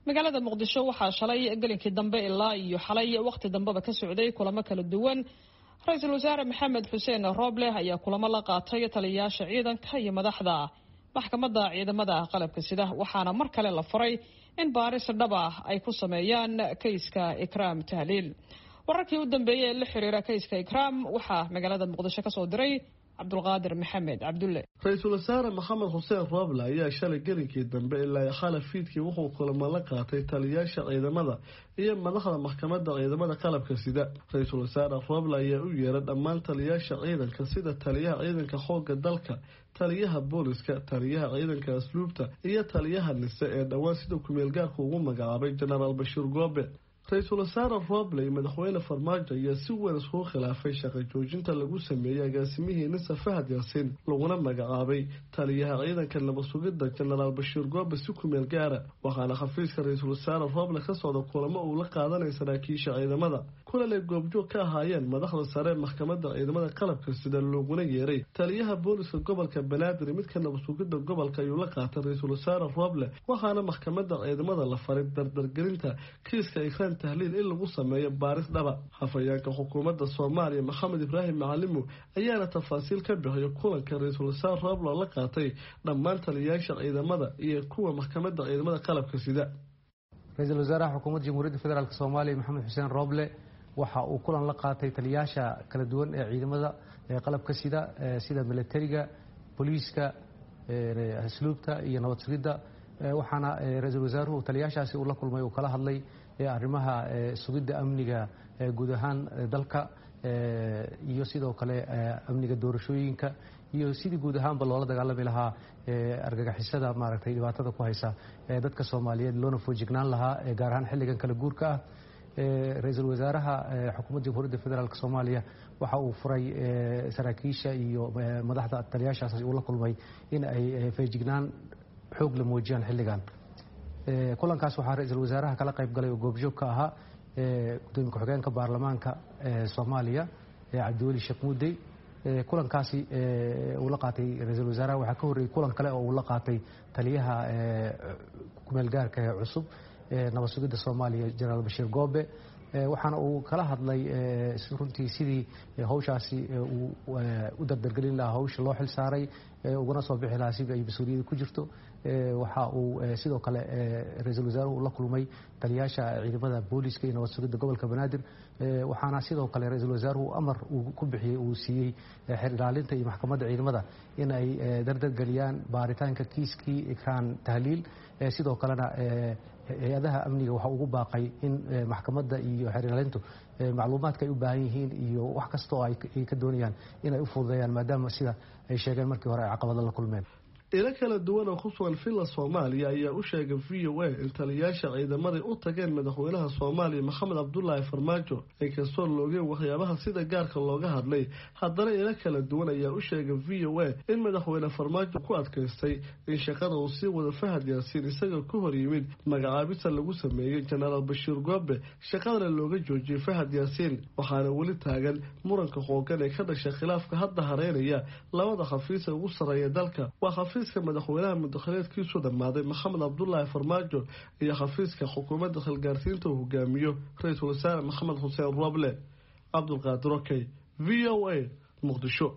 Magaalada Muqdisho waxaa shalay gelinkii dambe ilaa iyo xalay wakhti dambeba ka socday kulamo kala duwan. Ra-iisul Wasaare Maxamed Xuseen Rooble ayaa kulamo la qaatay taliyayaasha ciidanka iyo madaxda maxkamadda ciidamada qalabka sida, waxaana mar kale la faray in baaris dhab ah ay ku sameeyaan kayska Ikraam Tahliil. Wararkii u dambeeyey ee la xiriira kayska Ikraam waxaa magaalada Muqdisho ka soo diray Cabdulqaadir Maxamed Cabdulle. Ra-iisul Wasaare Maxamed Xuseen Rooble ayaa shalay gelinkii dambe ilaa xala fiidkii wuxuu kulamo la qaatay taliyayaasha ciidamada iyo madaxda maxkamadda ciidamada qalabka sida. Ra-iisul Wasaare Rooble ayaa u yeeray dhammaan taliyayaasha ciidanka, sida taliyaha ciidanka xoogga dalka, taliyaha booliska, taliyaha ciidanka asluubta iyo taliyaha Nise ee dhowaan sida kumeelgaarka ugu magacaabay Jenaraal Bashiir Goobe. Ra-iisul Wasaare Rooble iyo Madaxweyne Farmaajo ayaa si weyn iskugu khilaafay shaqo joojinta lagu sameeyey agaasimihii Nisa Fahad Yaasiin, laguna magacaabay taliyaha ciidanka nabadsugidda Jenaraal Bashiir Goobe si kumeel gaara. Waxaana xafiiska Ra-iisul Wasaare Rooble ka socda kulamo uu la qaadanay saraakiisha ciidamada, kulan ay goobjoog ka ahaayeen madaxda sare maxkamadda ciidamada qalabka sida, looguna yeeray taliyaha booliska gobolka Banaadir, midka nabadsugidda gobolka ayuu la qaatay Ra-iisul Wasaare Rooble. Waxaana maxkamadda ciidamada la faray dardargelinta kiiska Ikraan Tahliil in lagu sameeyo baaris dhaba. Hafayeenka xukuumadda Soomaaliya Maxamed Ibraahim Macalimu ayaana tafaasiil ka bixiyo kulanka Ra-iisul Wasaare Rooble la qaatay dhammaan taliyayaasha ciidamada iyo kuwa maxkamadda ciidamada qalabka sida. Ra-iisul Wasaaraha Xukuumadda Jamhuuriyadda Federaalk Soomaaliya Maxamed Xuseen Rooble waxa uu kulan la qaatay taliyayaasha kala duwan ee ciidamada qalabka sida, sida milatariga, booliiska, asluubta iyo nabad sugidda. Waxaana ra-iisul wasaaruhu taliyaashaasi uu la kulmay uu kala hadlay arrimaha sugidda amniga guud ahaan dalka iyo sidoo kale amniga doorashooyinka iyo sidii guud ahaanba loola dagaalami lahaa argagixisada maaragtay dhibaatada ku haysa dadka Soomaaliyeed, loona foojignaan lahaa gaar ahaan xilligan kala guurka ah. Ra-iisul Wasaaraha Xukuumadda Jamhuuriyadda Federaalk Soomaaliya waxa uu furay saraakiisha iyo madaxda taliyaashaas uu la kulmay in ay feejignaan xoog la muujiyaan xilligan. Kulankaas waxaa ra-iisul wasaaraha kala qayb galay oo goobjoog ka ahaa gudoomiye ku-xigeenka baarlamaanka Soomaaliya Cabdiweli Sheekh Muudey. Kulankaasi uu la qaatay ra-iisul wasaaraha waxaa ka horreeyey kulan kale oo uu la qaatay taliyaha kumeelgaarka ee cusub nabad sugidda Soomaaliya, Jenaraal Bashiir Goobe, waxaana uu kala hadlay runtii sidii hawshaasi uu u dardargelin lahaa hawsha loo xil saaray, ugana soo bixi lahaa sidii ay mas-uuliyada ku jirto. Waxa uu sidoo kale ra-iisul wasaaruhu la kulmay taliyaasha ciidamada booliiska iyo nabad sugidda gobolka Banaadir. Waxaana sidoo kale ra-iisul wasaaruhu amar uu ku bixiyey, uu siiyey xer ilaalinta iyo maxkamadda ciidamada in ay dardargeliyaan baaritaanka kiiskii Ikraan Tahliil. Sidoo kalena hay-adaha amniga waxa ugu baaqay in maxkamadda iyo xeer ilaalintu macluumaadka ay u baahan yihiin iyo wax kasta oo ay ka doonayaan in ay u fududeeyaan, maadaama sida ay sheegeen markii hore ay caqabado la kulmeen. Ilo kala duwan oo ku sugan Villa Soomaaliya ayaa u sheegay VOA in taliyayaasha ciidamaday u tageen madaxweynaha Soomaaliya Maxamed Cabdulaahi Farmaajo. Inkastoo loogeen waxyaabaha sida gaarka looga hadlay, haddana ilo kala duwan ayaa u sheegay VOA in madaxweyne Farmaajo ku adkaystay in shaqada uu sii wado Fahad Yaasiin, isaga ku hor yimid magacaabista lagu sameeyey Jenaraal Bashiir Goobe, shaqadana looga joojiyey Fahad Yaasiin. Waxaana weli taagan muranka xoogan ee ka dhashay khilaafka hadda hareynaya labada xafiis ee ugu sarreeya dalka, waa xafiiska madaxweynaha mudakhileedkiisu dhammaaday Maxamed Cabdulaahi Farmaajo iyo xafiiska xukuumadda khilgaarsiinta uu hogaamiyo Ra-iisul Wasaare Maxamed Xuseen Roble. Cabdulqaadir Okey, VOA, Muqdisho.